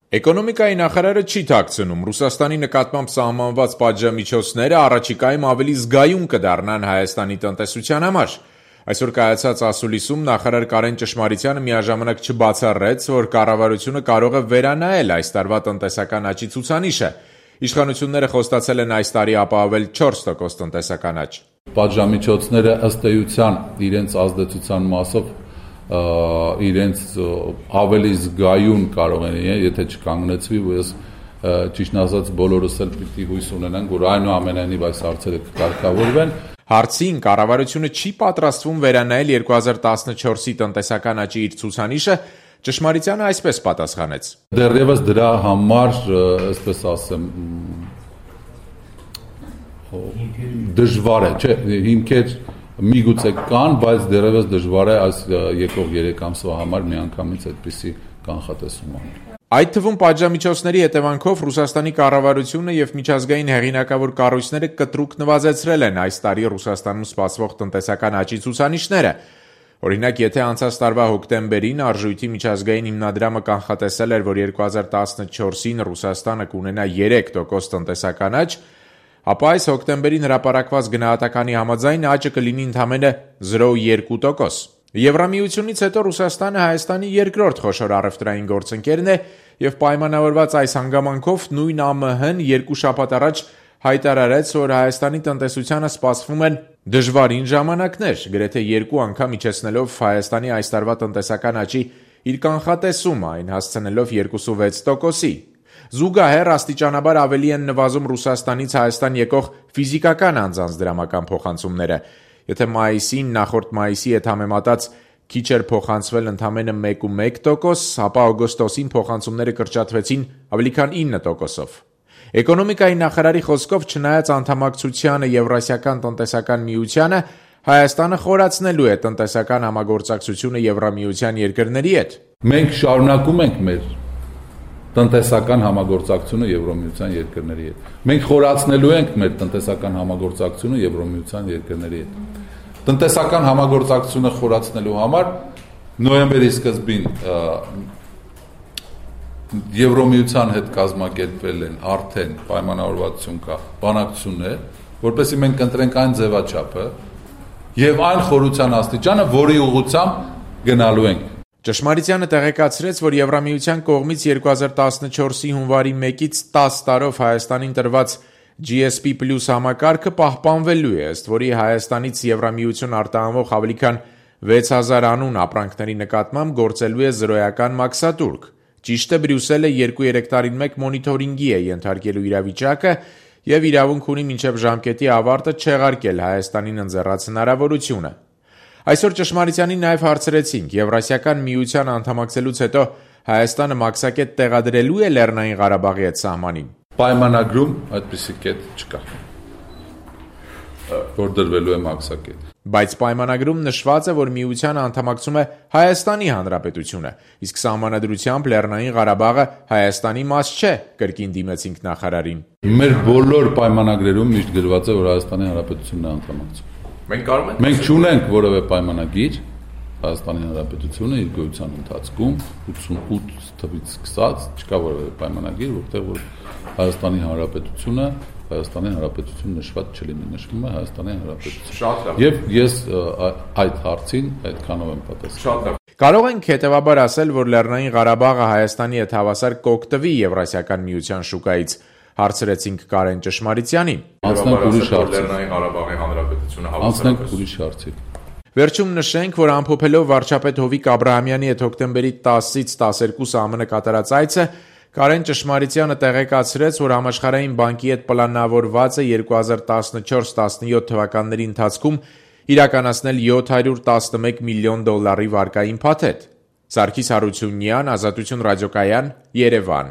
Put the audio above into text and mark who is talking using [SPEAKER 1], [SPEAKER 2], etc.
[SPEAKER 1] Էկոնոմիկայի նախարարը չի թաքցնում, Ռուսաստանի նկատմամբ սահմանված պատժամիջոցները առաջիկայում ավելի զգայուն կդառնան Հայաստանի տնտեսության համար։ Այսօր կայացած ասուլիսում նախարար Կարեն Ճշմարիտյանը միաժամանակ չբացառեց, որ կառավարությունը կարող է վերանայել այս տարվա տնտեսական աճի ցուցանիշը։ Իշխանությունները խոստացել են այս տարի ապահովել 4% տնտեսական աճ։
[SPEAKER 2] Պատժամիջոցները ըստ էության իրենց ազդեցության մասով իրենց ավելի զգայուն կարող են, եթե չկանգնեցվի, ու ես ճիշտն ասած բոլորս էլ պիտի հույս ունենանք, որ այնուամենայնիվ այս հարցերը կկարգավորվեն։
[SPEAKER 1] Հարցին կառավարությունը չի պատրաստվում վերանայել 2014-ի տնտեսական աճի իր ցուցանիշը, Ճշմարիտյանը այսպես պատասխանեց.
[SPEAKER 2] Դեռևս դրա համար, այսպես ասեմ, դժվար է, չէ, հիմքեր միգուցե կան, բայց դեռևս դժվար է այս եկող 3 ամսվա համար միանգամից այդպիսի կանխատեսում անել։
[SPEAKER 1] Այդ թվում պատժամիջոցների հետևանքով Ռուսաստանի կառավարությունը եւ միջազգային հեղինակավոր կառույցները կտրուկ նվազեցրել են այս տարի Ռուսաստանում սպասվող տնտեսական աճի ցուցանիշները։ Օրինակ, եթե անցած տարվա հոկտեմբերին Արժույթի միջազգային հիմնադրամը կանխատեսել էր, որ 2014-ին Ռուսաստանը կունենա 3% տնտեսական աճ, ապա այս հոկտեմբերին հրապարակված գնահատականի համաձայն աճը կլինի ընդամենը 0,2%։ Եվրամիությունից հետո Ռուսաստանը Հայաստանի երկրորդ խոշոր առևտրային գործընկերն է եւ պայմանավորված այս հանգամանքով նույն ԱՄՀ-ն 2 շաբաթ առաջ հայտարարեց, որ Հայաստանի տնտեսությանը սպասվում են դժվարին ժամանակներ, գրեթե 2 անգամ իջեցնելով Հայաստանի այս տարվա տնտեսական աճի իր կանխատեսումը, այն հասցնելով 2,6%-ի։ Զուգահեռ աստիճանաբար ավելի են նվազում Ռուսաստանից Հայաստան եկող ֆիզիկական անձանց դրամական փոխանցումները։ Եթե մայիսին նախորդ մայիսի հետ համեմատած քիչ էր փոխանցվել ընդամենը 1,1%, ապա օգոստոսին փոխանցումները կրճատվեցին ավելի քան 9%-ով։ Էկոնոմիկայի նախարարի խոսքով, չնայած անդամակցությանը Եվրասիական տնտեսական միությանը, Հայաստանը խորացնելու է տնտեսական համագործակցությունը Եվրամիության երկրների հետ։
[SPEAKER 2] Մենք շարունակում ենք մեր տնտեսական համագործակցությունը Եվրամիության երկրների հետ։ Մենք խորացնելու ենք մեր տնտեսական համագործակցությունը Եվրամիության երկրների հետ։ Տնտեսական համագործակցությունը խորացնելու համար նոյեմբերի սկզբին Եվրամիության հետ կազմակերպվել են արդեն պայմանավորվածություն կա բանակցություններ, որպեսզի մենք ընտրենք այն ձևաչափը եւ այն խորության աստիճանը, որի ուղղությամբ գնալու ենք։
[SPEAKER 1] Ճշմարիտյանը տեղեկացրեց, որ Եվրամիության կողմից 2014-ի հունվարի 1-ից 10 տարով Հայաստանին տրված GSP+ համակարգը պահպանվելու է, ըստ որի Հայաստանից Եվրամիություն արտահանվող ավելի քան 6000 անուն ապրանքների նկատմամբ գործելու է զրոյական մաքսատուրք։ Ճիշտ է, Բրյուսելը 2-3 տարին մեկ մոնիթորինգի է ենթարկելու իրավիճակը եւ իրավունք ունի մինչեւ ժամկետի ավարտը չեղարկել Հայաստանին ընձեռած հնարավորությունը։ Այսօր Ճշմարիտյանին նաև հարցրեցինք, Եվրասիական միության անդամակցելուց հետո Հայաստանը մաքսակետ տեղադրելու է Լեռնային Ղարաբաղի հետ սահմանին։
[SPEAKER 2] Պայմանագրում այդպիսի կետ չկա, որ դրվելու է մաքսակետ։
[SPEAKER 1] Բայց պայմանագրում նշված է, որ միությանը անդամակցում է Հայաստանի Հանրապետությունը, իսկ սահմանադրությամբ Լեռնային Ղարաբաղը Հայաստանի մաս չէ, կրկին դիմեցինք նախարարին։
[SPEAKER 2] Մեր բոլոր պայմանագրերում միշտ գրված է, որ Հայաստանի Հանրապետությունն է անդամակցում։ Մենք չունենք որևէ պայմանագիր, Հայաստանի Հանրապետությունը իր գոյության ընթացքում 88 թվից սկսած չկա որևէ պայմանագիր, որտեղ որ Հայաստանի Հանրապետություն նշված չլինի, նշվում է Հայաստանի Հանրապետություն։ Եվ ես այդ հարցին այդքանով եմ պատասխանում։
[SPEAKER 1] Կարող ենք հետևաբար ասել, որ Լեռնային Ղարաբաղը Հայաստանի հետ հավասար կօգտվի Եվրասիական միության շուկայից, հարցրեցինք Կարեն Ճշմարիտյանին։
[SPEAKER 2] Անցնենք ուրիշ հարցի։
[SPEAKER 1] Վերջում նշենք, որ ամփոփելով վարչապետ Հովիկ Աբրահամյանի հետ հոկտեմբերի 10-ից 12 ԱՄՆ կատարած այցը, Կարեն Ճշմարիտյանը տեղեկացրեց, որ Համաշխարհային բանկի հետ պլանավորված է 2014-17 թվականների ընթացքում իրականացնել $711 միլիոն վարկային փաթեթ։ Սարգիս Հարությունյան, Ազատություն ռադիոկայան, Երևան։